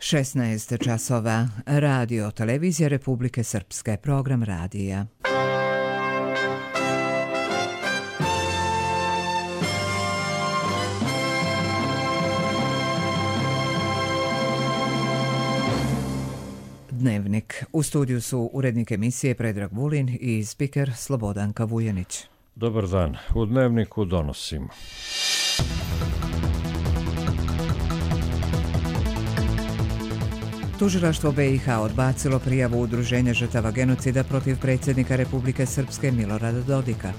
16 časova. Radio Televizija Republike Srpske. Program radija. Dnevnik. U studiju su urednik emisije Predrag Vulin i spiker Slobodanka Vujanić. Dobar dan. U Dnevniku donosimo. Tužilaštvo BiH odbacilo prijavu Udruženja žrtava genocida protiv predsjednika Republike Srpske Milorada Dodika.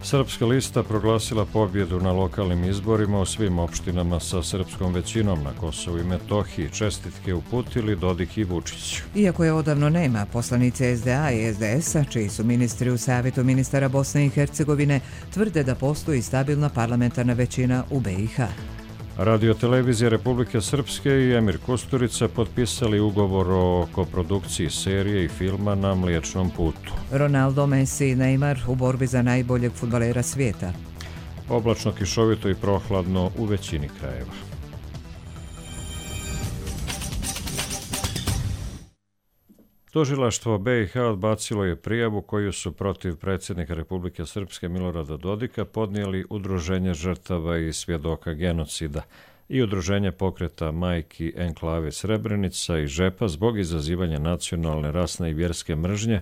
Srpska lista proglasila pobjedu na lokalnim izborima u svim opštinama sa srpskom većinom na Kosovu i Metohiji. Čestitke uputili Dodik i Vučić. Iako je odavno nema, poslanice SDA i SDS-a, čiji su ministri u Savjetu ministara Bosne i Hercegovine, tvrde da postoji stabilna parlamentarna većina u BiH. Radio Televizija Republike Srpske i Emir Kusturica potpisali ugovor o koprodukciji serije i filma Na Mliječnom putu. Ronaldo, Messi i Neymar u borbi za najboljeg fudbalera svijeta. Oblačno, kišovito i prohladno u većini krajeva. Tužilaštvo BiH odbacilo je prijavu koju su protiv predsjednika Republike Srpske Milorada Dodika podnijeli Udruženje žrtava i svjedoka genocida i Udruženje pokreta majki Enklave Srebrenica i Žepa zbog izazivanja nacionalne, rasne i vjerske mržnje,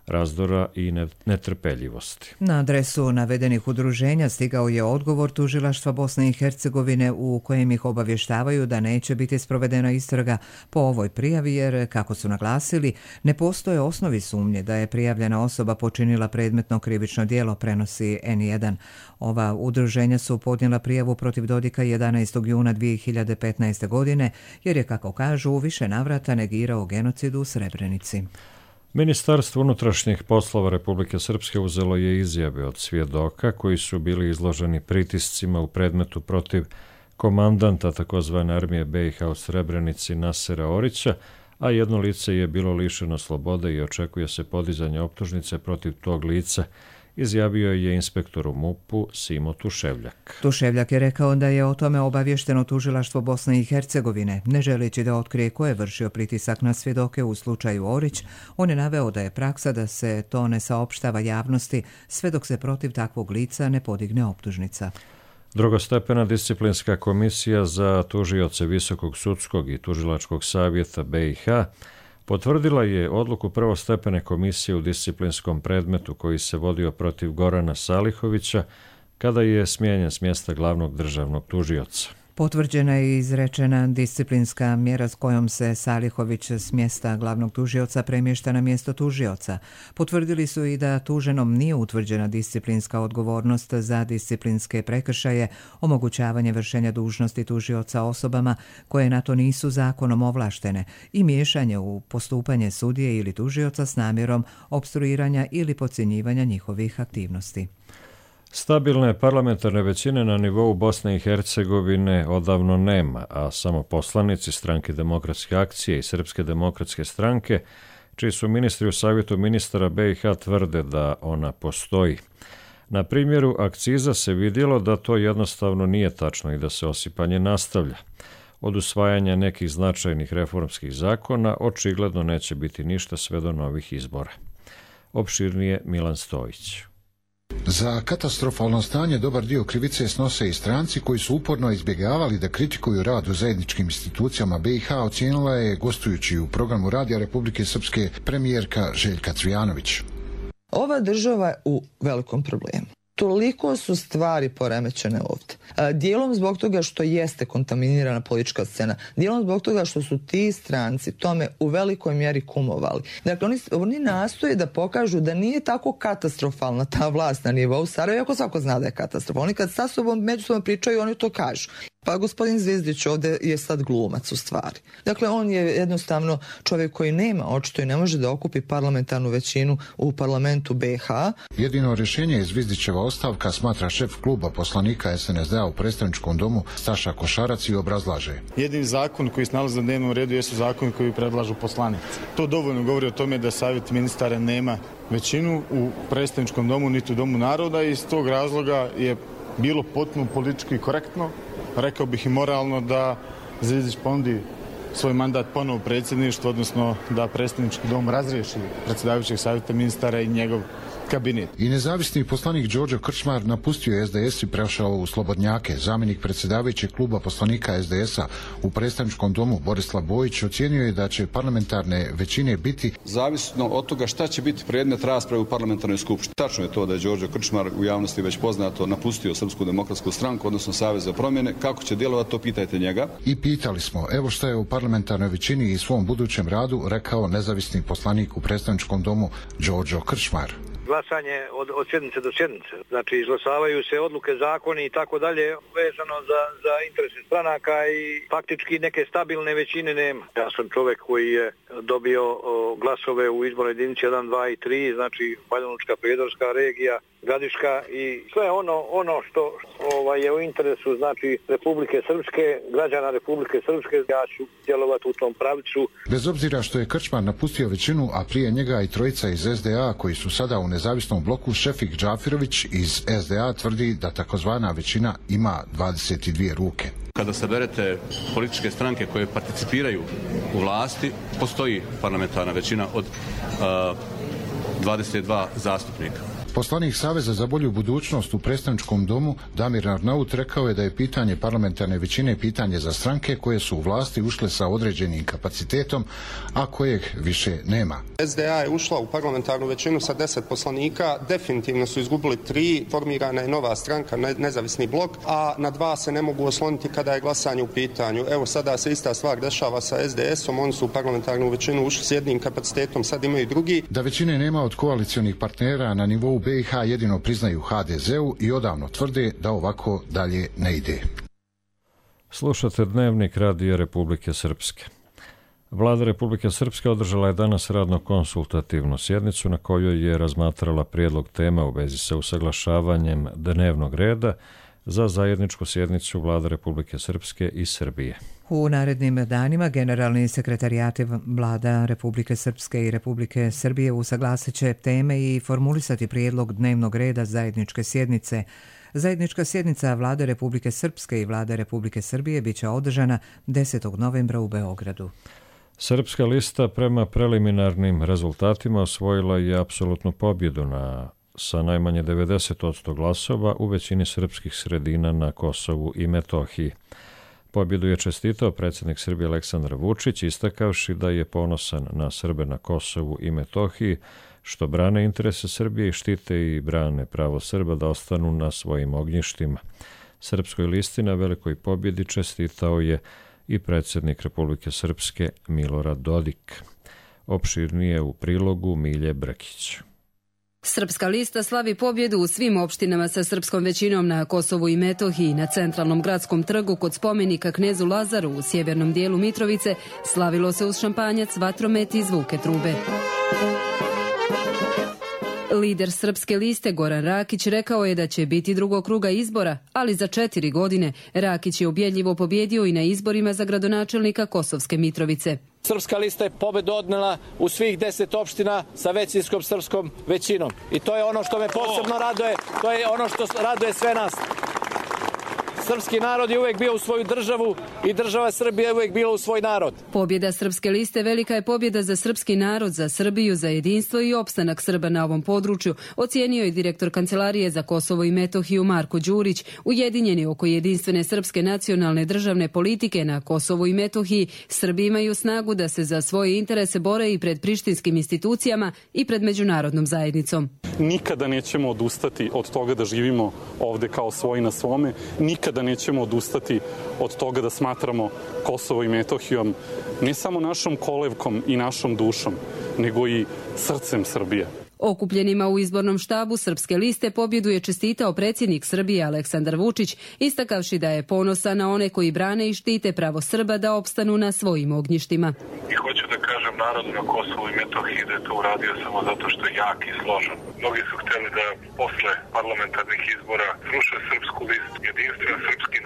razdora i netrpeljivosti. Na adresu navedenih udruženja stigao je odgovor Tužilaštva Bosne i Hercegovine u kojem ih obavještavaju da neće biti sprovedena istraga po ovoj prijavi jer, kako su naglasili, ne postoje osnovi sumnje da je prijavljena osoba počinila predmetno krivično djelo, prenosi N1. Ova udruženja su podnijela prijavu protiv Dodika 11. juna 2015. godine jer je, kako kažu, u više navrata negirao genocid u Srebrenici. Ministarstvo unutrašnjih poslova Republike Srpske uzelo je izjave od svjedoka koji su bili izloženi pritiscima u predmetu protiv komandanta tzv. Armije BiH u Srebrenici Nasera Orića, a jedno lice je bilo lišeno slobode i očekuje se podizanje optužnice protiv tog lica, izjavio je inspektor u MUP-u Simo Tuševljak. Tuševljak je rekao da je o tome obavješteno Tužilaštvo Bosne i Hercegovine. Ne želeći da otkrije ko je vršio pritisak na svjedoke u slučaju Orić, on je naveo da je praksa da se to ne saopštava javnosti sve dok se protiv takvog lica ne podigne optužnica. Drugostepena disciplinska komisija za tužioce Visokog sudskog i tužilačkog savjeta BiH potvrdila je odluku prvostepene komisije u disciplinskom predmetu koji se vodio protiv Gorana Salihovića kada je smijenjen s mjesta glavnog državnog tužioca. Potvrđena je i izrečena disciplinska mjera s kojom se Salihović s mjesta glavnog tužioca premješta na mjesto tužioca. Potvrdili su i da tuženom nije utvrđena disciplinska odgovornost za disciplinske prekršaje, omogućavanje vršenja dužnosti tužioca osobama koje na to nisu zakonom ovlaštene i miješanje u postupanje sudije ili tužioca s namjerom opstruiranja ili podcjenjivanja njihovih aktivnosti. Stabilne parlamentarne većine na nivou Bosne i Hercegovine odavno nema, a samo poslanici Stranke demokratske akcije i Srpske demokratske stranke, čiji su ministri u Savjetu ministara BiH, tvrde da ona postoji. Na primjeru akciza se vidjelo da to jednostavno nije tačno i da se osipanje nastavlja. Od usvajanja nekih značajnih reformskih zakona očigledno neće biti ništa sve do novih izbora. Opširnije Milan Stojić. Za katastrofalno stanje dobar dio krivice snose i stranci koji su uporno izbjegavali da kritikuju rad u zajedničkim institucijama BiH, ocijenila je gostujući u programu Radija Republike Srpske premijerka Željka Cvijanović. Ova država je u velikom problemu. Toliko su stvari poremećene ovdje. Dijelom zbog toga što jeste kontaminirana politička scena, dijelom zbog toga što su ti stranci tome u velikoj mjeri kumovali. Dakle, oni nastoje da pokažu da nije tako katastrofalna ta vlast na nivou Sarajeva, iako svako zna da je katastrofalna. Oni kad sa sobom međusobno pričaju, oni to kažu. Pa gospodin Zvizdić ovdje je sad glumac u stvari. Dakle, on je jednostavno čovjek koji nema očito i ne može da okupi parlamentarnu većinu u parlamentu BiH. Jedino rješenje je Zvizdićeva ostavka, smatra šef kluba poslanika SNSD-a u predstavničkom domu Staša Košarac i obrazlaže. Jedini zakon koji se nalazi na dnevnom redu jesu zakoni koji predlažu poslanici. To dovoljno govori o tome da Savjet ministara nema većinu u predstavničkom domu niti u domu naroda i iz tog razloga je bilo potpuno politički korektno, rekao bih i moralno, da Zvizdić ponudi svoj mandat ponovo predsjedništvo, odnosno da predsjednički dom razriješi predsjedavajućeg savjeta ministara i njegov kabinet. I nezavisni poslanik Đorđe Krčmar napustio je SDS i prešao u Slobodnjake. Zamjenik predsjedavajućeg kluba poslanika SDS-a u predstavničkom domu Borislav Bojić ocijenio je da će parlamentarne većine biti zavisno od toga šta će biti predmet rasprave u parlamentarnoj skupštini. Tačno je to da je Đorđe Krčmar, u javnosti već poznato, napustio Srpsku demokratsku stranku, odnosno Savez za promjene. Kako će djelovati, to pitajte njega. I pitali smo, evo šta je u parlamentarnoj većini i svom budućem radu rekao nezavisni poslanik u predstavničkom domu Đorđe Krčmar. Glasanje od sjednice do sjednice. Znači, izglasavaju se odluke, zakoni i tako dalje vezano za interese stranaka i faktički neke stabilne većine nema. Ja sam čovjek koji je dobio glasove u izbornoj jedinici 1, 2 i 3, znači Banjalučka, Prijedorska regija, Gradiška i sve ono što je u interesu, znači Republike Srpske, građana Republike Srpske, ja ću djelovati u tom pravcu. Bez obzira što je Krčmar napustio većinu, a prije njega i trojica iz SDA koji su sada u nezavisnom bloku, Šefik Džafirović iz SDA tvrdi da takozvana većina ima 22 ruke. Kada saberete političke stranke koje participiraju u vlasti, postoji parlamentarna većina od 22 zastupnika. Poslanik Saveza za bolju budućnost u predstavničkom domu Damir Arnaut rekao je da je pitanje parlamentarne većine pitanje za stranke koje su u vlasti ušle sa određenim kapacitetom, a kojeg više nema. SDA je ušla u parlamentarnu većinu sa 10 poslanika, definitivno su izgubili 3, formirana je nova stranka, nezavisni blok, a na 2 se ne mogu osloniti kada je glasanje u pitanju. Evo sada se ista stvar dešava sa SDS-om, oni su u parlamentarnu većinu ušli s jednim kapacitetom, sad imaju drugi. Da većine nema od koalicionih partnera na nivou BiH jedino priznaju HDZ-u i odavno tvrde da ovako dalje ne ide. Slušate Dnevnik Radija Republike Srpske. Vlada Republike Srpske održala je danas radno-konsultativnu sjednicu na kojoj je razmatrala prijedlog tema u vezi sa usaglašavanjem dnevnog reda za zajedničku sjednicu Vlade Republike Srpske i Srbije. U narednim danima generalni sekretarijati Vlada Republike Srpske i Republike Srbije usaglasit će teme i formulisati prijedlog dnevnog reda zajedničke sjednice. Zajednička sjednica Vlade Republike Srpske i Vlade Republike Srbije bit će održana 10. novembra u Beogradu. Srpska lista prema preliminarnim rezultatima osvojila je apsolutnu pobjedu sa najmanje 90% glasova u većini srpskih sredina na Kosovu i Metohiji. Pobjedu je čestitao predsjednik Srbije Aleksandar Vučić, istakavši da je ponosan na Srbe na Kosovu i Metohiji, što brane interese Srbije i štite i brane pravo Srba da ostanu na svojim ognjištima. Srpskoj listi na velikoj pobjedi čestitao je i predsjednik Republike Srpske Milorad Dodik. Opširnije u prilogu Milje Brkić. Srpska lista slavi pobjedu u svim opštinama sa srpskom većinom na Kosovu i Metohiji. Na centralnom gradskom trgu kod spomenika knezu Lazaru u sjevernom dijelu Mitrovice slavilo se uz šampanjac, vatromet i zvuke trube. Lider Srpske liste Goran Rakić rekao je da će biti drugog kruga izbora, ali za 4 godine. Rakić je ubjedljivo pobjedio i na izborima za gradonačelnika Kosovske Mitrovice. Srpska lista je pobjedu odnela u svih 10 opština sa većinskom srpskom većinom. I to je ono što me posebno raduje, to je ono što raduje sve nas. Srpski narod je uvijek bio u svoju državu i država Srbija je uvijek bila u svoj narod. Pobjeda Srpske liste velika je pobjeda za srpski narod, za Srbiju, za jedinstvo i opstanak Srba na ovom području, ocijenio je direktor Kancelarije za Kosovo i Metohiju Marko Đurić. Ujedinjeni oko jedinstvene srpske nacionalne državne politike na Kosovu i Metohiji, Srbi imaju snagu da se za svoje interese bore i pred prištinskim institucijama i pred međunarodnom zajednicom. Nikada nećemo odustati od toga da živimo ovde kao svoji na svome, nikada nećemo odustati od toga da smatramo Kosovo i Metohijom ne samo našom kolevkom i našom dušom, nego i srcem Srbije. Okupljenima u izbornom štabu Srpske liste pobjedu je čestitao predsjednik Srbije Aleksandar Vučić, istakavši da je ponosan na one koji brane i štite pravo Srba da opstanu na svojim ognjištima. I hoću da kažem narodu na Kosovu i Metohiji da je to uradio samo zato što je jak i složan. Mnogi su htjeli da posle parlamentarnih izbora sruše Srpsku listu, jedinstvena srpski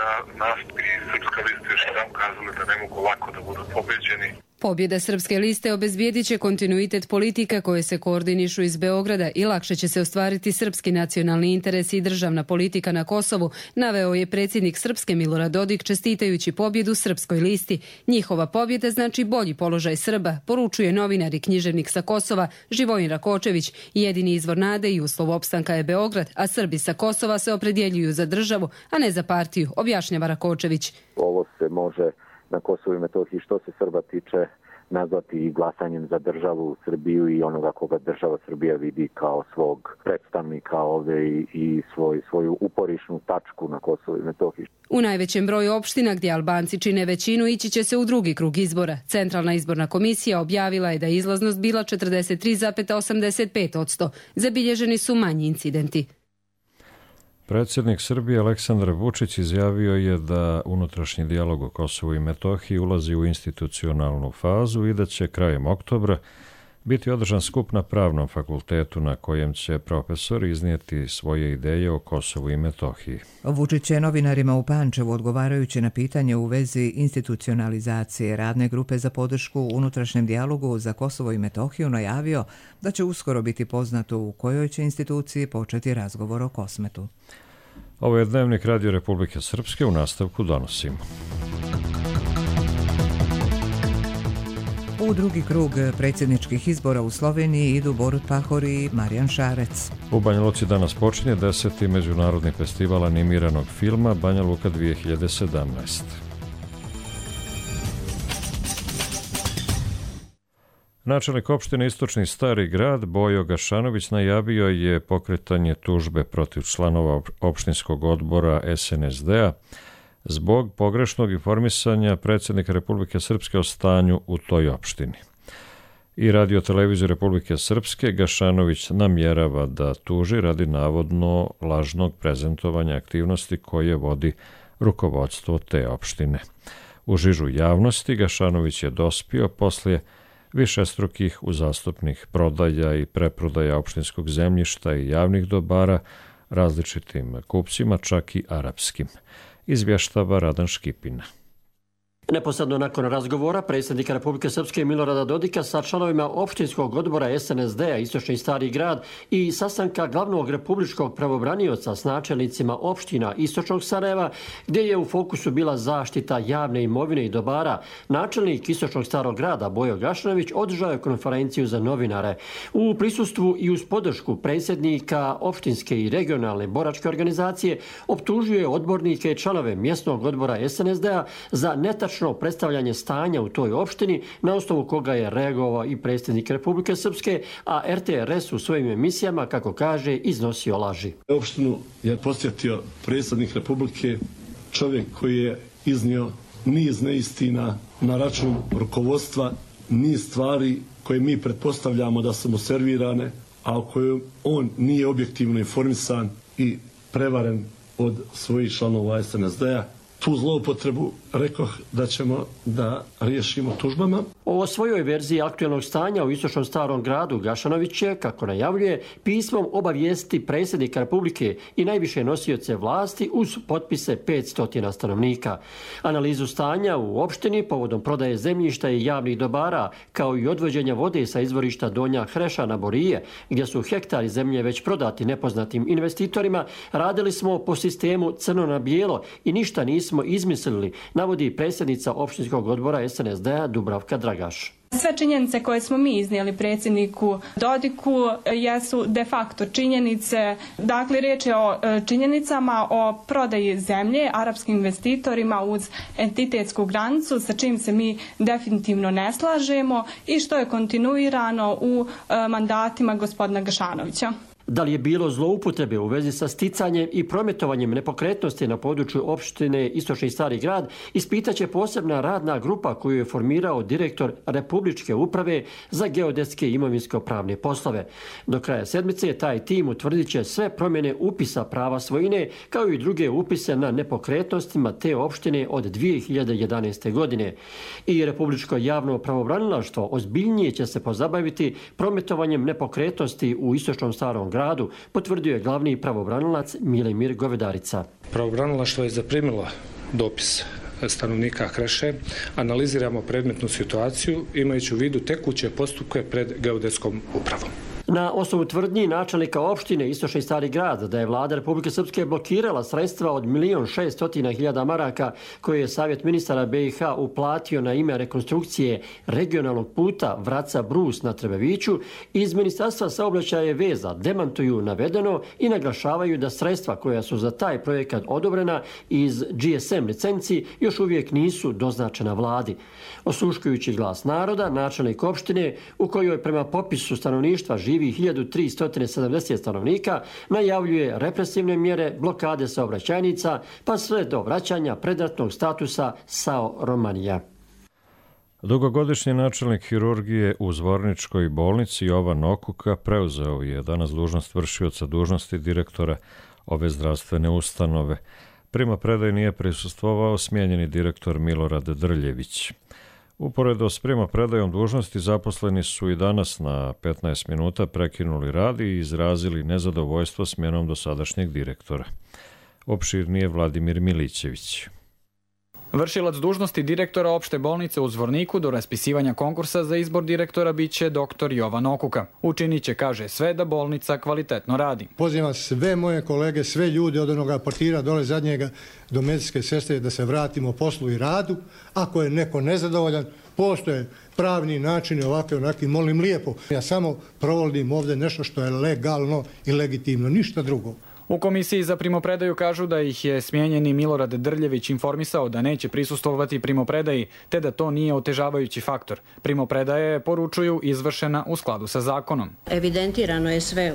nastup i Srpska lista još jedan kazali da ne mogu lako da budu pobeđeni. Pobjeda Srpske liste obezbijedit će kontinuitet politika koje se koordinišu iz Beograda i lakše će se ostvariti srpski nacionalni interes i državna politika na Kosovu, naveo je predsjednik Srpske Milorad Dodik čestitajući pobjedu Srpskoj listi. Njihova pobjeda znači bolji položaj Srba, poručuje novinar i književnik sa Kosova Živojin Rakočević. Jedini izvor nade i uslov opstanka je Beograd, a Srbi sa Kosova se opredjeljuju za državu, a ne za partiju, objašnjava Rakočević. Ovo se može na Kosovu i Metohiji što se Srba tiče nazvati i glasanjem za državu Srbiju i onoga koga država Srbija vidi kao svog predstavnika ovdje i svoju uporišnu tačku na Kosovu i Metohiji. U najvećem broju opština gdje Albanci čine većinu ići će se u drugi krug izbora. Centralna izborna komisija objavila je da je izlaznost bila 43,85%. Zabilježeni su manji incidenti. Predsjednik Srbije Aleksandar Vučić izjavio je da unutrašnji dijalog o Kosovu i Metohiji ulazi u institucionalnu fazu i da će krajem oktobra biti održan skup na Pravnom fakultetu na kojem će profesori iznijeti svoje ideje o Kosovu i Metohiji. Vučić je novinarima u Pančevu odgovarajući na pitanje u vezi institucionalizacije radne grupe za podršku unutrašnjem dijalogu za Kosovo i Metohiju najavio da će uskoro biti poznato u kojoj će instituciji početi razgovor o Kosmetu. Ovo je Dnevnik Radio Republike Srpske, u nastavku donosimo. U drugi krug predsjedničkih izbora u Sloveniji idu Borut Pahor i Marijan Šarec. U Banja Luci danas počinje 10. međunarodni festival animiranog filma Banja Luka 2017. Načelnik opštine Istočni Stari Grad Bojo Gašanović najavio je pokretanje tužbe protiv članova opštinskog odbora SNSD-a zbog pogrešnog informisanja predsjednika Republike Srpske o stanju u toj opštini. I Radio televiziju Republike Srpske Gašanović namjerava da tuži radi navodno lažnog prezentovanja aktivnosti koje vodi rukovodstvo te opštine. U žižu javnosti Gašanović je dospio poslije višestrukih uzastopnih prodaja i preprodaja opštinskog zemljišta i javnih dobara različitim kupcima, čak i arapskim, izvještava Radan Škipina. Neposredno nakon razgovora predsjednika Republike Srpske Milorada Dodika sa članovima opštinskog odbora SNSD-a Istočni Stari Grad i sastanka glavnog republičkog pravobranioca s načelnicima opština Istočnog Sarajeva, gdje je u fokusu bila zaštita javne imovine i dobara, načelnik Istočnog Starog Grada Bojo Gašanović održao je konferenciju za novinare. U prisustvu i uz podršku predsjednika opštinske i regionalne boračke organizacije optužio je odbornike i članove mjesnog odbora SNSD-a za netačno predstavljanje stanja u toj opštini, na osnovu koga je reagovao i predsjednik Republike Srpske, a RTRS u svojim emisijama, kako kaže, iznosio laži. Opštinu je posjetio predsjednik Republike, čovjek koji je iznio niz neistina na račun rukovodstva, niz stvari koje mi pretpostavljamo da su mu servirane, a o kojoj on nije objektivno informisan i prevaren od svojih članova SNSD-a. Tu zloupotrebu rekoh da ćemo da riješimo tužbama. O svojoj verziji aktualnog stanja u Istočnom Starom Gradu Gašanović je, kako najavljuje, pismom obavijesti predsjednika Republike i najviše nosioce vlasti uz potpise 500 stanovnika. Analizu stanja u opštini povodom prodaje zemljišta i javnih dobara, kao i odvođenja vode sa izvorišta Donja Hreša na Borije, gdje su hektari zemlje već prodati nepoznatim investitorima, radili smo po sistemu crno na bijelo i ništa nismo izmislili, navodi predsjednica opštinskog odbora SNSD-a Dubravka Dragaš. Sve činjenice koje smo mi iznijeli predsjedniku Dodiku jesu de facto činjenice. Dakle, riječ je o činjenicama o prodaji zemlje arapskim investitorima uz entitetsku granicu, sa čim se mi definitivno ne slažemo i što je kontinuirano u mandatima gospodina Gašanovića. Da li je bilo zloupotrebe u vezi sa sticanjem i prometovanjem nepokretnosti na području opštine Istočni Stari Grad, ispitaće posebna radna grupa koju je formirao direktor Republičke uprave za geodetske i imovinsko-pravne poslove. Do kraja sedmice taj tim utvrdit će sve promjene upisa prava svojine, kao i druge upise na nepokretnostima te opštine od 2011. godine. I Republičko javno pravobranilaštvo ozbiljnije će se pozabaviti prometovanjem nepokretnosti u Istočnom Starom Gradu, potvrdio je glavni pravobranilac Milemir Govedarica. Pravobranilaštvo je zaprimilo dopis stanovnika Kreše, analiziramo predmetnu situaciju imajući u vidu tekuće postupke pred geodetskom upravom. Na osnovu tvrdnji načelnika opštine Istočni Stari Grad da je vlada Republike Srpske blokirala sredstva od 1.600.000 maraka koje je Savjet ministara BiH uplatio na ime rekonstrukcije regionalnog puta Vraca-Brus na Trebeviću, iz Ministarstva saobraćaja i veza demantuju navedeno i naglašavaju da sredstva koja su za taj projekat odobrena iz GSM licenci još uvijek nisu doznačena vladi. Osluškujući glas naroda, načelnik opštine, u kojoj prema popisu stanovništva živi 1370 stanovnika, najavljuje represivne mjere, blokade saobraćajnica, pa sve do vraćanja predratnog statusa SAO Romanija. Dugogodišnji načelnik hirurgije u Zvorničkoj bolnici Jovan Okuka preuzeo je danas dužnost vršioca dužnosti direktora ove zdravstvene ustanove. Primopredaji nije prisustvovao smijenjeni direktor Milorad Drljević. Uporedo s primopredajom dužnosti zaposleni su i danas na 15 minuta prekinuli rad i izrazili nezadovoljstvo smjenom dosadašnjeg direktora. Opširnije Vladimir Milićević. Vršilac dužnosti direktora opšte bolnice u Zvorniku do raspisivanja konkursa za izbor direktora biće dr. Jovan Okuka. Učinit će, kaže, sve da bolnica kvalitetno radi. Pozivam sve moje kolege, sve ljude od onoga portira dole zadnjega do medicinske sestre da se vratimo poslu i radu. Ako je neko nezadovoljan, postoje pravni načini ovakve onaki, molim lijepo. Ja samo provodim ovdje nešto što je legalno i legitimno, ništa drugo. U komisiji za primopredaju kažu da ih je smijenjeni Milorad Drljević informisao da neće prisustvovati primopredaji, te da to nije otežavajući faktor. Primopredaja je, poručuju, izvršena u skladu sa zakonom. Evidentirano je sve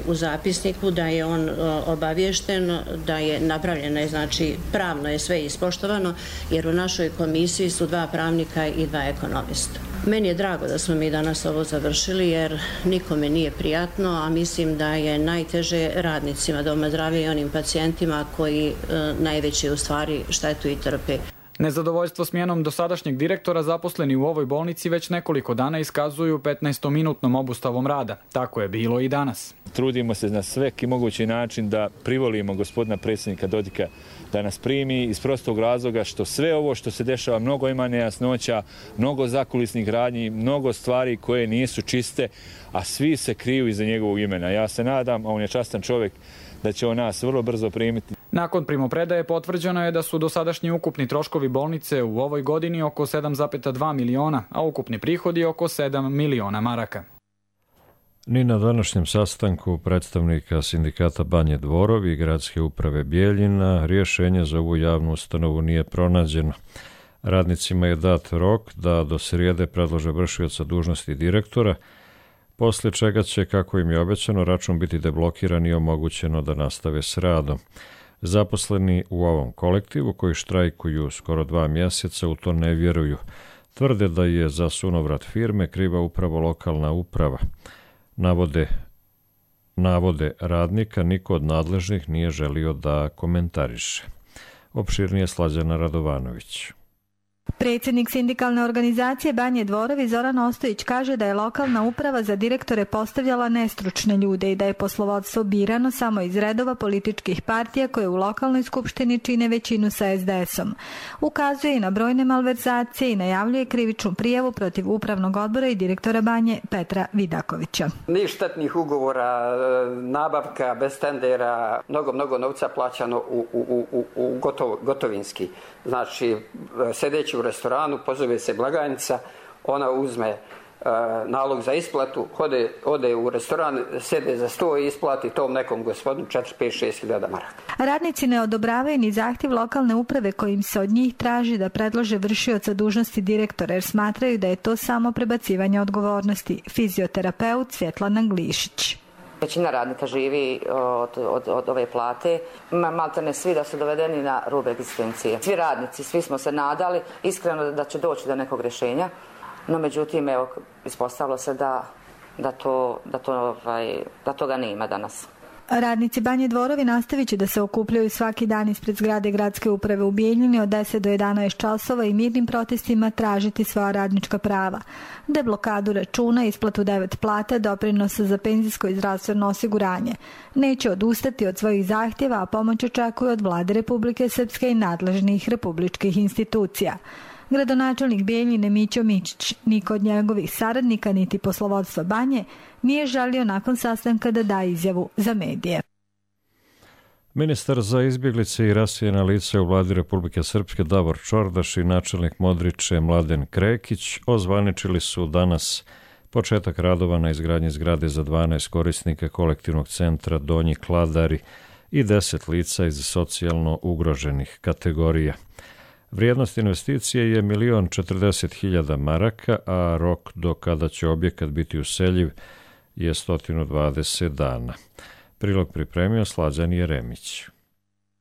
u zapisniku da je on obaviješten, da je napravljeno, znači pravno je sve ispoštovano, jer u našoj komisiji su 2 pravnika i 2 ekonomista. Meni je drago da smo mi danas ovo završili, jer nikome nije prijatno, a mislim da je najteže radnicima doma zdravlja i onim pacijentima koji najveće u stvari štetu i trpe. Nezadovoljstvo smjenom dosadašnjeg direktora zaposleni u ovoj bolnici već nekoliko dana iskazuju 15-minutnom obustavom rada. Tako je bilo i danas. Trudimo se na svaki mogući način da privolimo gospodina predsjednika Dodika da nas primi iz prostog razloga što sve ovo što se dešava, mnogo ima nejasnoća, mnogo zakulisnih radnji, mnogo stvari koje nisu čiste, a svi se kriju iza njegovog imena. Ja se nadam, a on je častan čovjek, da će on nas vrlo brzo primiti. Nakon primopredaje potvrđeno je da su dosadašnji ukupni troškovi bolnice u ovoj godini oko 7,2 miliona, a ukupni prihodi oko 7 miliona maraka. Ni na današnjem sastanku predstavnika sindikata Banje Dvorovi i gradske uprave Bijeljina rješenje za ovu javnu ustanovu nije pronađeno. Radnicima je dat rok da do srijede predlože vršioca dužnosti direktora, poslije čega će, kako im je obećano, račun biti deblokiran i omogućeno da nastave s radom. Zaposleni u ovom kolektivu, koji štrajkuju skoro 2 mjeseca, u to ne vjeruju. Tvrde da je za sunovrat firme kriva upravo lokalna uprava. Navode radnika niko od nadležnih nije želio da komentariše. Opširnije Slađana Radovanović. Predsjednik sindikalne organizacije Banje Dvorovi Zoran Ostojić kaže da je lokalna uprava za direktore postavljala nestručne ljude i da je poslovodstvo birano samo iz redova političkih partija koje u lokalnoj skupštini čine većinu sa SDS-om. Ukazuje i na brojne malverzacije i najavljuje krivičnu prijavu protiv upravnog odbora i direktora Banje Petra Vidakovića. Niš štetnih ugovora, nabavka bez tendera, mnogo novca plaćano u gotovinski. Znači, sedeći u restoranu, pozove se blagajnica, ona uzme nalog za isplatu, ode u restoran, sede za sto i isplati tom nekom gospodinu 4-5-6 hiljada maraka. Radnici ne odobravaju ni zahtjev lokalne uprave kojim se od njih traži da predlože vršioca dužnosti direktora, jer smatraju da je to samo prebacivanje odgovornosti. Fizioterapeut Svjetlana Glišić. Većina radnika živi od ove plate. Maltene svi da su dovedeni na rub egzistencije. Svi radnici, svi smo se nadali iskreno da će doći do nekog rješenja, no međutim ispostavilo se da toga nema danas. Radnici Banje Dvorovi nastavit će da se okupljaju svaki dan ispred zgrade gradske uprave u Bijeljini od 10 do 11 časova i mirnim protestima tražiti svoja radnička prava. Deblokadu računa, isplatu 9 plata, doprinosa za penzijsko i zdravstveno osiguranje. Neće odustati od svojih zahtjeva, a pomoć očekuju od Vlade Republike Srpske i nadležnih republičkih institucija. Gradonačelnik Bijeljine Mićo Mičić, niko od njegovih saradnika niti poslovodstva Banje nije želio nakon sastanka da da izjavu za medije. Ministar za izbjeglice i rasijena lica u Vladi Republike Srpske Davor Čordaš i načelnik Modriče Mladen Krekić ozvaničili su danas početak radova na izgradnji zgrade za 12 korisnika kolektivnog centra Donji Kladari i 10 lica iz socijalno ugroženih kategorija. Vrijednost investicije je 1.040.000 maraka, a rok do kada će objekat biti useljiv je 120 dana. Prilog pripremio Slađan Jeremić.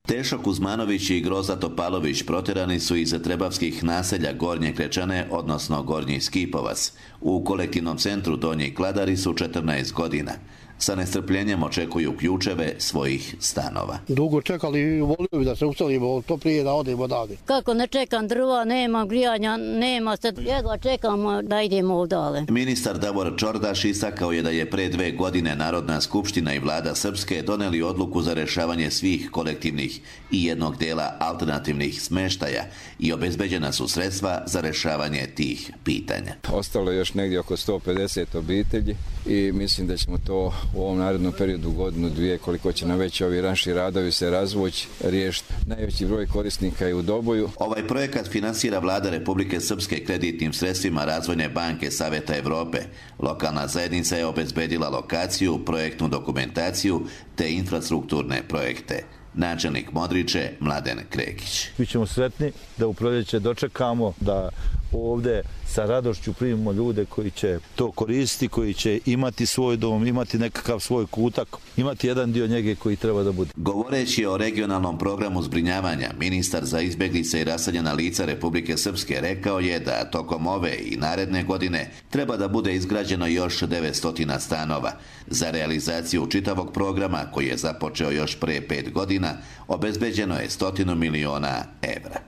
Tešo Kuzmanović i Groza Topalović protjerani su iz trebavskih naselja Gornje Krečane, odnosno Gornji Skipovac. U kolektivnom centru Donji Kladari su 14 godina. Sa nestrpljenjem očekuju ključeve svojih stanova. Dugo čekali i volio bi da se uselimo, to prije da odemo odavde. Kako ne čekam, drva nema, grijanja nema, sad jedva čekamo da idemo odale. Ministar Davor Čordaš istakao je da je pre 2 godine Narodna skupština i Vlada Srpske doneli odluku za rešavanje svih kolektivnih i jednog dela alternativnih smeštaja i obezbeđena su sredstva za rešavanje tih pitanja. Ostalo je još negdje oko 150 obitelji i mislim da ćemo to u ovom narednom periodu, godinu, dvije, koliko će nam već ovi naši radovi se razvući, riješiti. Najveći broj korisnika je u Doboju. Ovaj projekat finansira Vlada Republike Srpske kreditnim sredstvima Razvojne banke Saveta Evrope. Lokalna zajednica je obezbedila lokaciju, projektnu dokumentaciju te infrastrukturne projekte. Načelnik Modriče Mladen Krekić. Mi ćemo sretni da u proljeće dočekamo da ovdje sa radošću primimo ljude koji će to koristiti, koji će imati svoj dom, imati nekakav svoj kutak, imati jedan dio njege koji treba da bude. Govoreći o regionalnom programu zbrinjavanja, ministar za izbjeglice i raseljena lica Republike Srpske rekao je da tokom ove i naredne godine treba da bude izgrađeno još 900 stanova. Za realizaciju čitavog programa, koji je započeo još pre 5 godina, obezbeđeno je 100 miliona evra.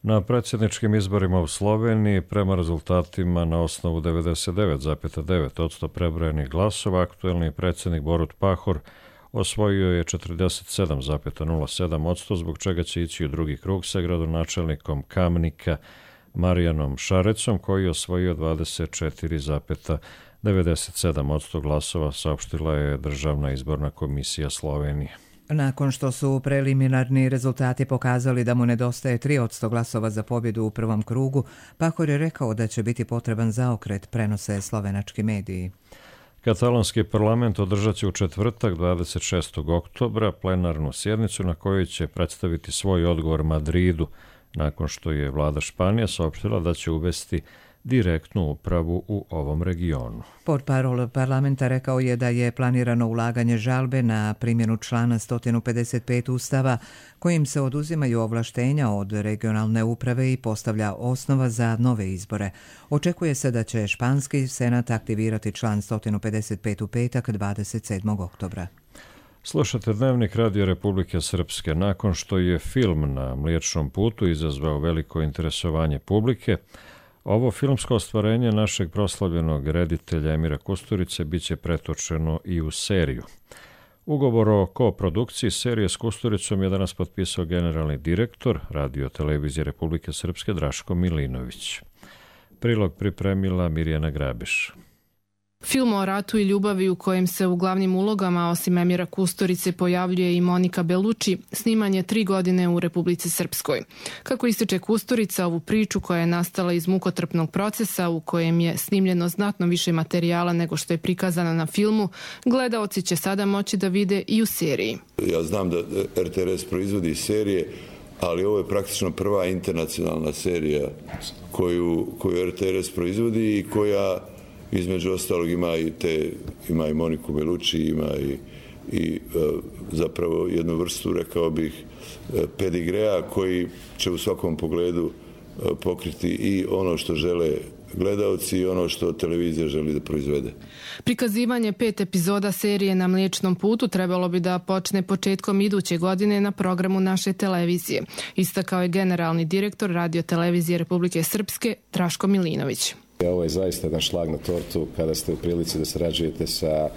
Na predsjedničkim izborima u Sloveniji, prema rezultatima na osnovu 99,9% prebrojenih glasova, aktuelni predsjednik Borut Pahor osvojio je 47,07%, zbog čega će ići u drugi krug sa gradonačelnikom Kamnika Marijanom Šarecom, koji je osvojio 24,97% glasova, saopštila je Državna izborna komisija Slovenije. Nakon što su preliminarni rezultati pokazali da mu nedostaje 3% glasova za pobjedu u prvom krugu, Pahor je rekao da će biti potreban zaokret, prenose slovenački mediji. Katalonski parlament održat će u četvrtak 26. oktobra plenarnu sjednicu na kojoj će predstaviti svoj odgovor Madridu, nakon što je vlada Španije saopštila da će uvesti direktnu upravu u ovom regionu. Portparol parlamenta rekao je da je planirano ulaganje žalbe na primjenu člana 155 Ustava, kojim se oduzimaju ovlaštenja od regionalne uprave i postavlja osnova za nove izbore. Očekuje se da će španski senat aktivirati član 155 u petak 27. oktobra. Slušate Dnevnik Radio Republike Srpske. Nakon što je film Na Mliječnom putu izazvao veliko interesovanje publike, ovo filmsko ostvarenje našeg proslavljenog reditelja Emira Kusturice biće pretočeno i u seriju. Ugovor o koprodukciji serije s Kusturicom je danas potpisao generalni direktor Radio televizije Republike Srpske Draško Milinović. Prilog pripremila Mirjana Grabiš. Film o ratu i ljubavi u kojem se u glavnim ulogama osim Emira Kusturice pojavljuje i Monika Belucci, sniman je 3 godine u Republici Srpskoj. Kako ističe Kusturica, ovu priču koja je nastala iz mukotrpnog procesa u kojem je snimljeno znatno više materijala nego što je prikazano na filmu, gledaoci će sada moći da vide i u seriji. Ja znam da RTRS proizvodi serije, ali ovo je praktično prva internacionalna serija koju RTRS proizvodi i koja između ostalog ima i Moniku Belucci, ima i zapravo jednu vrstu, rekao bih, pedigrea koji će u svakom pogledu pokriti i ono što žele gledaoci i ono što televizija želi da proizvede. Prikazivanje 5 epizoda serije Na Mliječnom putu trebalo bi da počne početkom iduće godine na programu naše televizije, istakao je generalni direktor Radio televizije Republike Srpske Draško Milinović. Ovo je zaista jedan šlag na tortu kada ste u prilici da sarađujete sa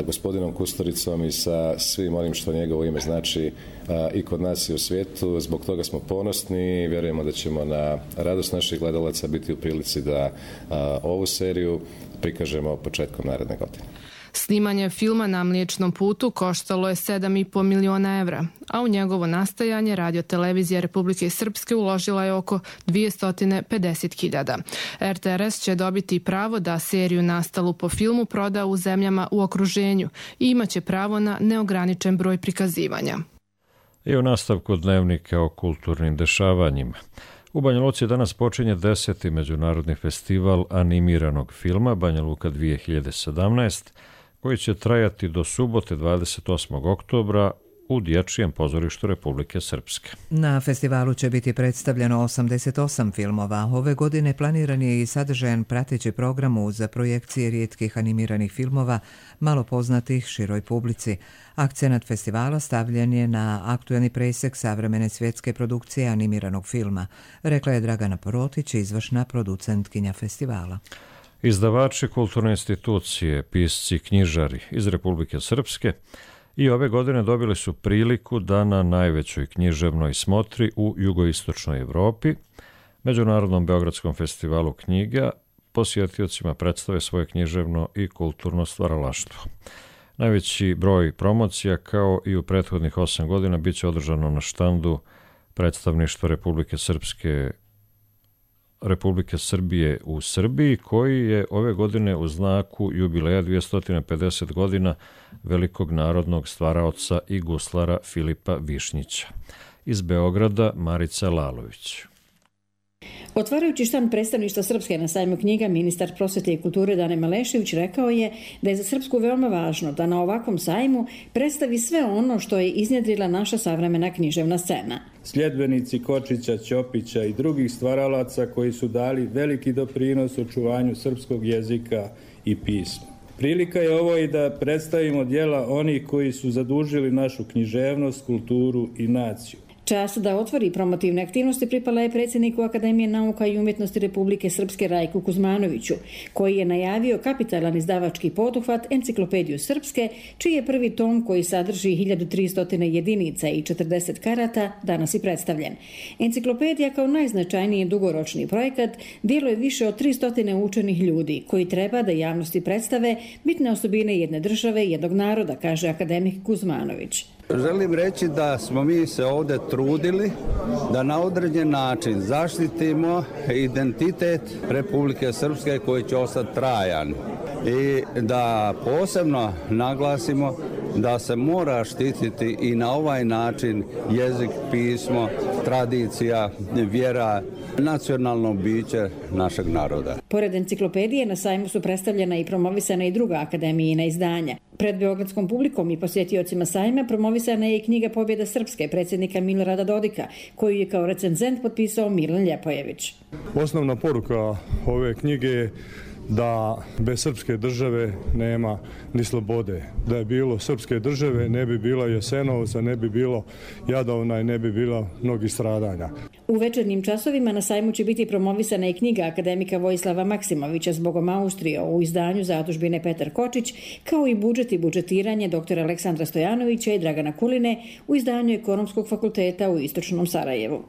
gospodinom Kusturicom i sa svim onim što njegovo ime znači i kod nas i u svijetu. Zbog toga smo ponosni i vjerujemo da ćemo na radost naših gledalaca biti u prilici da ovu seriju prikažemo početkom naredne godine. Snimanje filma Na Mliječnom putu koštalo je 7,5 miliona evra, a u njegovo nastajanje Radio televizija Republike Srpske uložila je oko 250.000. RTRS će dobiti pravo da seriju nastalu po filmu proda u zemljama u okruženju i imaće pravo na neograničen broj prikazivanja. I u nastavku dnevnika o kulturnim dešavanjima. U Banja Luci danas počinje 10. međunarodni festival animiranog filma Banja Luka 2017, koji će trajati do subote 28. oktobra u Dječjem pozorištu Republike Srpske. Na festivalu će biti predstavljeno 88 filmova. Ove godine planiran je i sadržajan prateći program uz projekcije rijetkih animiranih filmova, malo poznatih široj publici. Akcenat festivala stavljen je na aktuelni presjek savremene svjetske produkcije animiranog filma, rekla je Dragana Porotić, izvršna producentkinja festivala. Izdavači, kulturne institucije, pisci, knjižari iz Republike Srpske i ove godine dobili su priliku da na najvećoj književnoj smotri u jugoistočnoj Evropi, Međunarodnom Beogradskom festivalu knjiga, posjetiocima predstave svoje književno i kulturno stvaralaštvo. Najveći broj promocija, kao i u prethodnih 8 godina, bit će održano na štandu predstavništva Republike Srbije u Srbiji, koji je ove godine u znaku jubileja 250 godina velikog narodnog stvaraoca i guslara Filipa Višnjića. Iz Beograda Marica Lalović. Otvarajući štand predstavništva Srpske na sajmu knjiga, ministar prosvete i kulture Dane Malešević rekao je da je za Srpsku veoma važno da na ovakvom sajmu predstavi sve ono što je iznjedrila naša savremena književna scena. Sljedbenici Kočića, Ćopića i drugih stvaralaca koji su dali veliki doprinos očuvanju srpskog jezika i pisma. Prilika je ovo i da predstavimo djela onih koji su zadužili našu književnost, kulturu i naciju. Čast da otvori promotivne aktivnosti pripala je predsjedniku Akademije nauka i umjetnosti Republike Srpske Rajku Kuzmanoviću, koji je najavio kapitalan izdavački poduhvat Enciklopediju Srpske, čiji je prvi tom, koji sadrži 1300 jedinica i 40 karata, danas i predstavljen. Enciklopedija kao najznačajniji dugoročni projekat djeluje više od 300 učenih ljudi, koji treba da javnosti predstave bitne osobine jedne države i jednog naroda, kaže akademik Kuzmanović. Želim reći da smo mi se ovdje trudili da na određen način zaštitimo identitet Republike Srpske koji će ostati trajan i da posebno naglasimo da se mora štititi i na ovaj način jezik, pismo, tradicija, vjera, nacionalno biće našeg naroda. Pored enciklopedije na sajmu su predstavljena i promovisana i druga akademijina izdanja. Pred beogradskom publikom i posjetiocima sajma promovisana je i knjiga Pobjeda Srpske predsjednika Milorada Dodika, koju je kao recenzent potpisao Milan Ljepojević. Osnovna poruka ove knjige je da bez srpske države nema ni slobode. Da je bilo srpske države, ne bi bilo Jasenovca, ne bi bilo Jadovna i ne bi bilo mnogih stradanja. U večernjim časovima na sajmu će biti promovisana i knjiga akademika Vojislava Maksimovića Zbogom Austrije u izdanju zadužbine Petar Kočić, kao i budžet i budžetiranje dr. Aleksandra Stojanovića i Dragana Kuline u izdanju Ekonomskog fakulteta u Istočnom Sarajevu.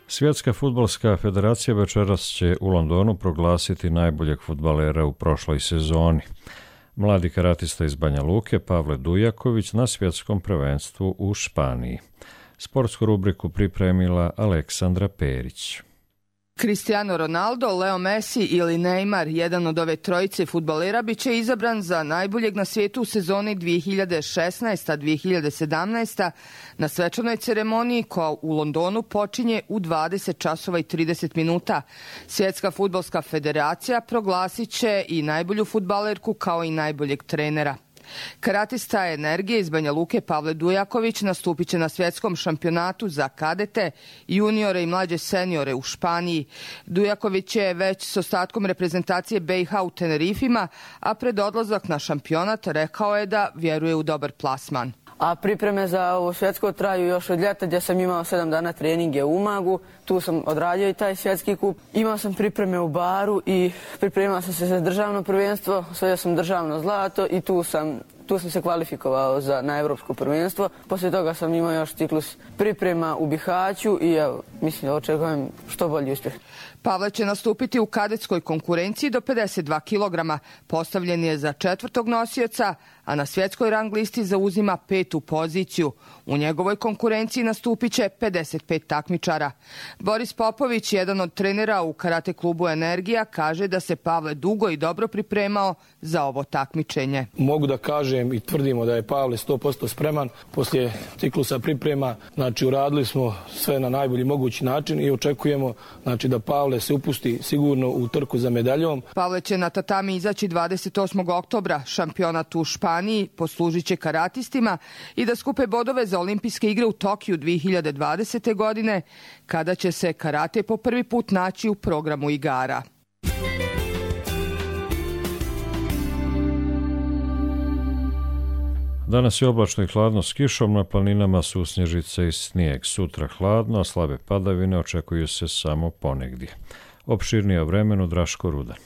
Svjetska fudbalska federacija večeras će u Londonu proglasiti najboljeg fudbalera u prošloj sezoni. Mladi karatista iz Banja Luke Pavle Dujaković na svjetskom prvenstvu u Španiji. Sportsku rubriku pripremila Aleksandra Perić. Cristiano Ronaldo, Leo Messi ili Neymar, jedan od ove trojice fudbalera, bit će izabran za najboljeg na svijetu u sezoni 2016-2017 na svečanoj ceremoniji koja u Londonu počinje u 20 časova i 30 minuta. Svjetska fudbalska federacija proglasit će i najbolju fudbalerku kao i najboljeg trenera. Karatista Energije iz Banja Luke Pavle Dujaković nastupit će na svjetskom šampionatu za kadete, juniore i mlađe seniore u Španiji. Dujaković je već s ostatkom reprezentacije BiH u Tenerifima, a pred odlazak na šampionat rekao je da vjeruje u dobar plasman. A pripreme za ovo svjetsko traju još od ljeta gdje sam imao 7 dana treninge u Umagu. Tu sam odradio i taj svjetski kup. Imao sam pripreme u Baru i pripremao sam se za državno prvenstvo. Osvojio sam državno zlato i tu sam se kvalifikovao na evropsko prvenstvo. Poslije toga sam imao još ciklus priprema u Bihaću i evo, mislim da očekujem što bolji uspjeh. Pavle će nastupiti u kadetskoj konkurenciji do 52 kg. Postavljen je za 4. nosioca, a na svjetskoj rang listi zauzima 5. poziciju. U njegovoj konkurenciji nastupit će 55 takmičara. Boris Popović, jedan od trenera u karate klubu Energija, kaže da se Pavle dugo i dobro pripremao za ovo takmičenje. Mogu da kažem i tvrdimo da je Pavle 100% spreman. Poslije ciklusa priprema, uradili smo sve na najbolji mogući način i očekujemo da Pavle se upusti sigurno u trku za medaljom. Pavle će na tatami izaći 28. oktobra. Šampionat u Španiji poslužit će karatistima i da skupe bodove za olimpijske igre u Tokiju 2020. godine, kada će se karate po prvi put naći u programu igara. Danas je oblačno i hladno s kišom, na planinama su snježice i snijeg. Sutra hladno, a slabe padavine očekuju se samo ponegdje. Opširnije o vremenu Draško Rudan.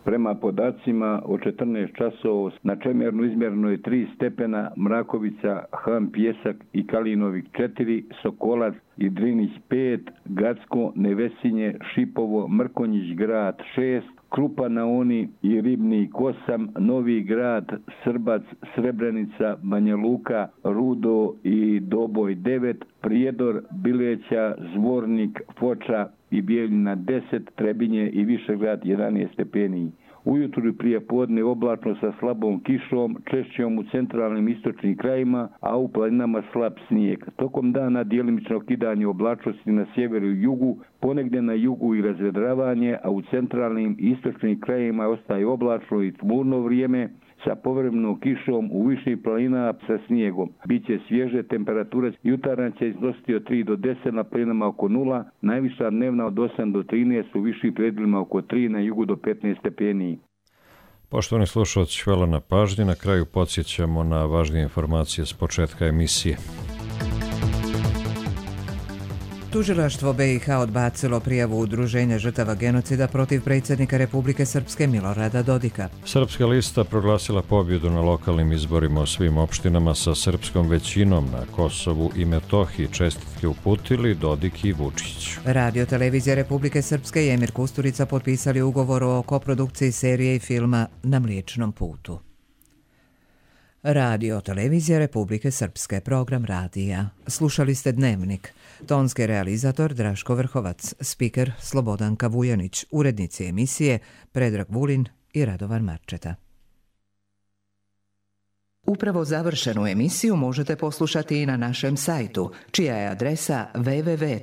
Prema podacima od 14 časova na Čemernu izmjereno je 3 stepena, Mrakovica, Han Pjesak i Kalinovik 4, Sokolac i Drinić 5, Gacko, Nevesinje, Šipovo, Mrkonjić grad 6, Krupa na Oni i Ribnik 8, Novi grad, Srbac, Srebrenica, Banja Luka, Rudo i Doboj 9, Prijedor, Bileća, Zvornik, Foča i Bijeljina 10, Trebinje i Višegrad 11 stepeni. Ujutru i prije podne oblačno sa slabom kišom, češćom u centralnim istočnim krajima, a u planinama slab snijeg. Tokom dana djelimično kidanje oblačnosti na sjeveru i jugu, ponegdje na jugu i razvedravanje, a u centralnim i istočnim krajima ostaje oblačno i tmurno vrijeme, sa povremenom kišom u viših planina sa snijegom. Biće svježe, temperatura jutarnja će iznositi od 3 do 10, na planinama oko 0, najviša dnevna od 8 do 13, u višim predjelima oko 3, na jugu do 15 stepeni. Poštovani slušalci, hvala na pažnji. Na kraju podsjećamo na važnije informacije s početka emisije. Tužilaštvo BiH odbacilo prijavu Udruženja žrtava genocida protiv predsjednika Republike Srpske Milorada Dodika. Srpska lista proglasila pobjedu na lokalnim izborima u svim opštinama sa srpskom većinom na Kosovu i Metohiji. Čestitke uputili Dodik i Vučić. Radio televizija Republike Srpske i Emir Kusturica potpisali ugovor o koprodukciji serije i filma Na Mliječnom putu. Radio televizija Republike Srpske, program radija. Slušali ste Dnevnik. Tonski realizator Draško Vrhovac, spiker Slobodanka Vujanić, urednici emisije Predrag Vulin i Radovan Marčeta. Upravo završenu emisiju možete poslušati i na našem sajtu, čija je adresa www.rtrs.tv.